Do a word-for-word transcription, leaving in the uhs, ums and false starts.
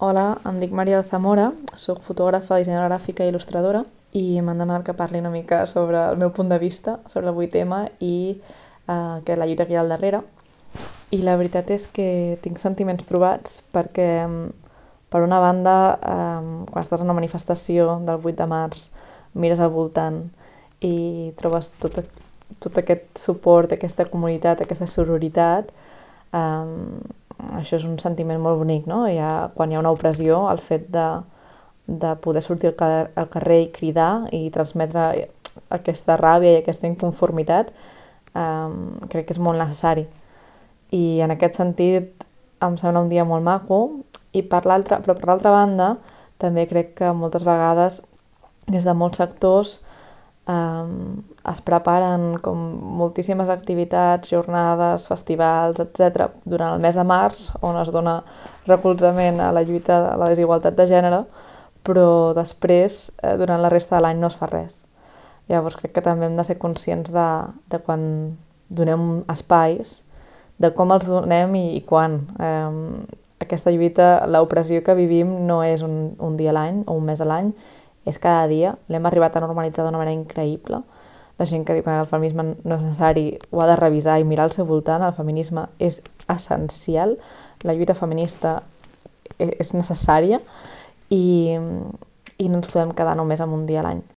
Hola, em dic Maria de Zamora, soc fotògrafa, dissenyadora gràfica i il·lustradora i m'han demanat que parli una mica sobre el meu punt de vista sobre el vuit ema i eh, que la lluita que hi ha al darrere. I la veritat és que tinc sentiments trobats perquè, per una banda, eh, quan estàs en una manifestació del vuit de març, mires al voltant i trobes tot, tot aquest suport, aquesta comunitat, aquesta sororitat. Um, això és un sentiment molt bonic, no? Hi ha, quan hi ha una opressió, el fet de, de poder sortir al carrer, al carrer i cridar i transmetre aquesta ràbia i aquesta inconformitat, um, crec que és molt necessari. I en aquest sentit em sembla un dia molt maco, i per l'altra, però per l'altra banda també crec que moltes vegades des de molts sectors Um, es preparen com moltíssimes activitats, jornades, festivals, etcètera durant el mes de març, on es dona recolzament a la lluita a la desigualtat de gènere, però després, eh, durant la resta de l'any no es fa res. Llavors crec que també hem de ser conscients de, de quan donem espais, de com els donem i, i quan. Um, aquesta lluita, l'opressió que vivim no és un, un dia a l'any o un mes a l'any, és cada dia. L'hem arribat a normalitzar d'una manera increïble. La gent que diu que el feminisme no és necessari ho ha de revisar i mirar al seu voltant. El feminisme és essencial, la lluita feminista és necessària i, i no ens podem quedar només amb un dia a l'any.